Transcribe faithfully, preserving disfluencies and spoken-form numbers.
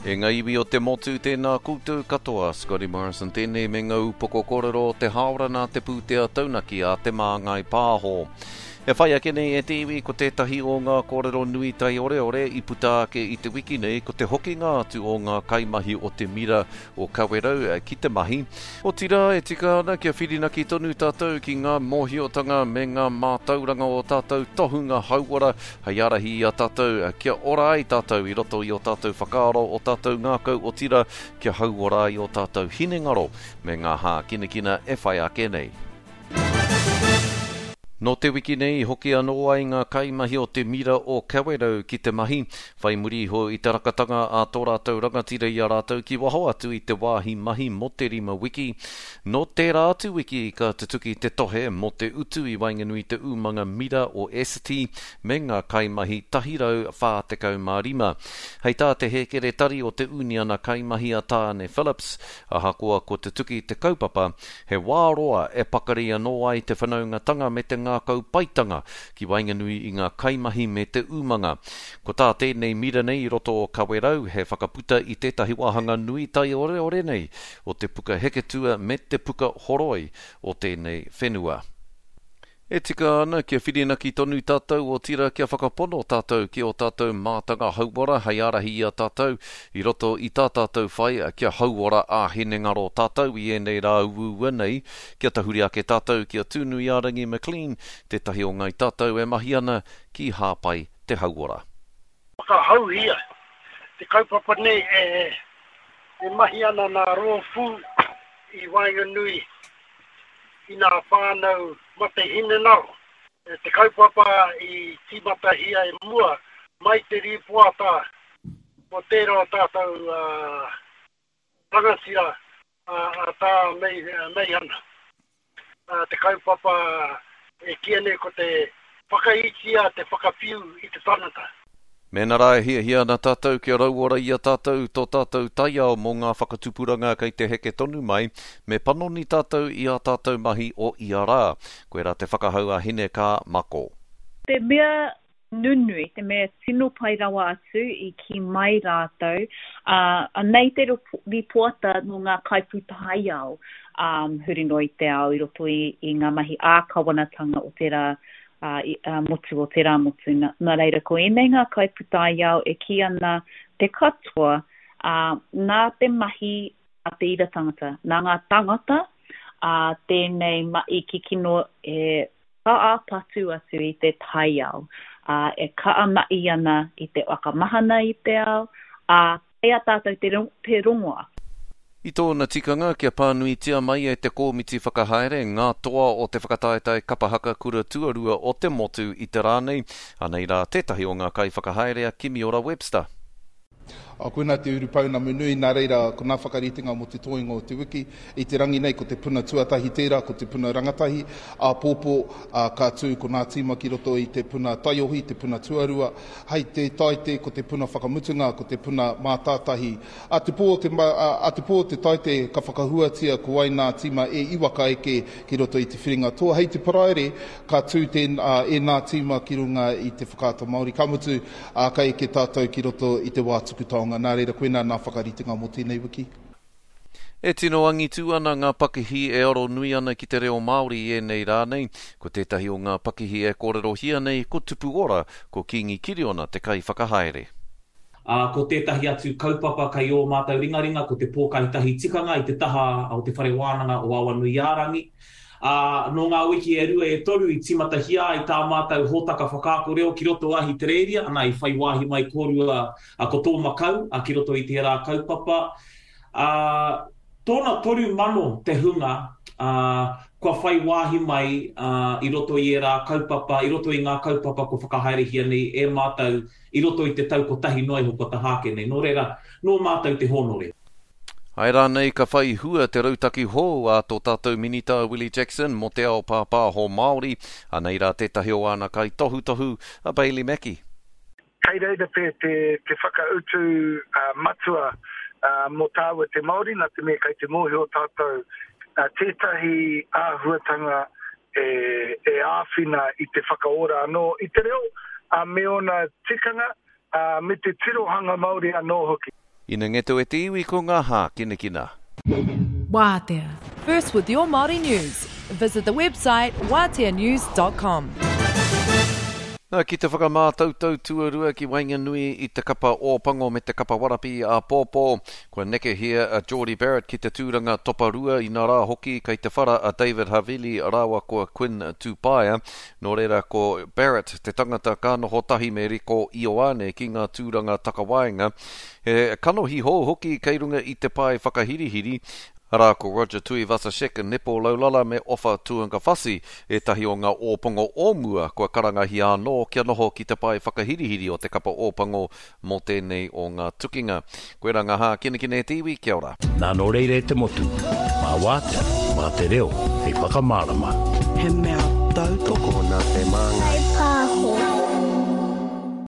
E ngā iwi o te motu, tēnā koutou katoa. Scotty Morrison tēnei me ngā upoko kōrero o te hāora nā te pūtea taunaki a Te Māngai Pāho. E whai ake nei e te iwi ko tētahi o ngā kōrero nui taioreore i puta ake i te wiki nei ko te hokinga atu o ngā kaimahi o te mira o Kawerau ki te mahi. Otirā e tika ana kia whirinaki tonu tātou ki ngā mōhiotanga me ngā mātauranga o tātou tohunga hauora hei ārahi i a tātou kia ora ai tātou i roto i ō tātou whakaaro, ō tātou ngākau otirā kia hauora ai ō tātou hinengaro me ngā hākinakina e whai ake nei. Nō te wiki nei i hoki anō ai ngā kaimahi o te mira o Kawerau ki te mahi, whai muri iho i te rakatanga a tō rātou rangatira i a rātou ki waho atu i te wāhi mahi mō te rima wiki. Nō tērā atu wiki ka tutuki te tohe mō te utu i waenganui i te umanga mira o Essity me ngā kaimahi tahi rau whā tekau mā rima. Hei tā te hēkeretari o te uniana kaimahi a Tāne Phillips, ahakoa kua tutuki te kaupapa, He wā roa e pakari anō ai te whanaungatanga me te ngākau paitanga ki waenganui i ngā kaimahi me te umanga. Ko tā tēnei mira nei i roto o Kawerau he whakaputa i tētahi wāhanga nui taioreore nei o te puka heketua me te puka horoi o tēnei whenua. E tika ana kia whirinaki tonu tātou, otirā kia whakapono tātou ki ō tātou mātanga hauora hei ārahi i a tātou i roto i tā tātou whai kia hauora ā-hinengaro tātou i ēnei rā uaua nei, kia tahuri ake tātou ki a Tūnuiārangi McLean, tētahi o ngāi tātou e mahi ana ki Hāpai te Hauora. Whakahauhia te kaupapa nei e mahi ana nā rōpū i waenganui i nā whānau mate hinengaro. Te kaupapa i tīmatahia i mua mai te rīpoata o tērā o tātou rangatira a Tā Meihana. Te kaupapa e kīia nei ko te whakaitia te whakawhiu i te tangata. Mēnā rā e hiahia ana tātou kia rauora i a tātou tō tātou taiao mō ngā whakatupuranga kei te heke tonu mai, me panoni tātou i ā tātou mahi o ia rā. Koirā te whakahau a Hine Kaa Mako. Te mea nunui, te mea tino pai rawa atu i kī mai rātou, ā, anei te rīpoata nō ngā kaipūtaiao, ā, huri noa i te ao i roto i, i ngā mahi ā-kawanatanga o te rā ā-motu o tērā motu. Nā reira, ko ēnei ngā kaipūtaiao e kī ana te katoa, ā, nā te mahi a te ira tangata, nā ngā tāngata, ā, tēnei mahi kikino e kaha patu atu i te taiao, ā, e kaha mahi ana i te whakamahana i te ao, ā, kei a tātou te, te rongoa. I tōna tikanga kia pānuitia mai e te kōmiti whakahaere ngā toa o te whakataetae kapa haka kura tuarua o te motu i te rā nei, anei rā tētahi o ngā kaiwhakahaere a Kimiora Webster. A, koinā te urupounamu nui, nā reira, ko nā whakaritenga mō te toenga o te wiki. I te rangi nei, ko te puna tuatahi tērā, ko te puna rangatahi. Āpōpō, ā, ka tū ko nā tīma ki roto i te puna taiohi, te puna tuarua. Hei te Taite, ko te puna whakamutunga, ko te puna mātātahi. A te pō o te, a te pō o te Taite ka whakahuatia ko wai nā tīma e iwa ka eke ki roto i te whiringa toa. Hei te Paraire ka tū tēn, ēnā tīma ki runga i te Whakaata Māori. Ka mutu, ā, ka eke tātou ki roto i te wā tuku taonga. Nā reira, koinā nā whakaritenga mō tēnei wiki. E tino angitu ana ngā pakihi e aro nui ana ki te reo Māori i ēnei rā nei. Ko tētahi o ngā pakihi e kōrerohia nei ko Tupu Ora, ko Kīngi Kiriona te kaiwhakahaere. Ā, ko tētahi atu kaupapa kei ō mātou ringaringa ko te pōkaitahi tikanga i te taha o Te Whare Wānanga o Awanuiārangi. Ā, nō ngā wiki e rua e toru i tīmatahia ai tā mātou hōtaka whakaako reo ki roto o Ahitereiria, ana i whai wāhi mai kōrua ko tō makau ki roto i tērā kaupapa. Ā, tōna toru mano te hunga, ā, kua whai wāhi mai, ā, i roto i ērā kaupapa, i roto i ngā kaupapa kua whakahaerehia nei e mātou i roto i te tau kotahi noa iho kua taha ake nei. Nō reira, nō mātou te hōnore. Āe rānei ka whai hua te rautaki hou a tō tātou Minita a Willie Jackson mō te ao pāpāho Māori? Anei rā tētahi o āna kaitohutohu, a Bailey Mackie. Kei reira pea te whakautu matua mō tāua te Māori, nā te mea kei te mōhio tātou tētahi āhuatanga e āwhina i te whakaora anō i te reo me ōna tikanga, me te tirohanga Māori anō hoki. Ina ngeto e te iwi ko ngā hākinakina. Wātea. First with your Māori news. Visit the website wātea news dot com. Nā, ki te whakamātautau tuarua ki waenganui i te kapa Ōpango me te kapa Warapi āpōpō, kua nekehia a Jordie Barrett ki te tūranga toparua, inā rā hoki kei te whara a David Havili rāua ko Quinn Tupaea. Nō reira ko Barrett te tangata ka noho tahi me Rieko Ioane ki ngā tūranga takawaenga. He kanohi hou hoki kei runga i te pae whakahirihiri, arā ko Roger Tuivasa-Sheck, Nepo Laulala me Ofa Tuungafasi, ētahi o ngā Ōpango o mua kua karangahia anō kia noho ki te pae whakahirihiri o te kapa Ōpango mō tēnei o ngā tukinga. Koirā ngā hākinakina e te iwi, kia ora. Nā nō reira e te motu, mā Wātea, mā te reo, hei whakamārama. He mea tautoko nā te māngai.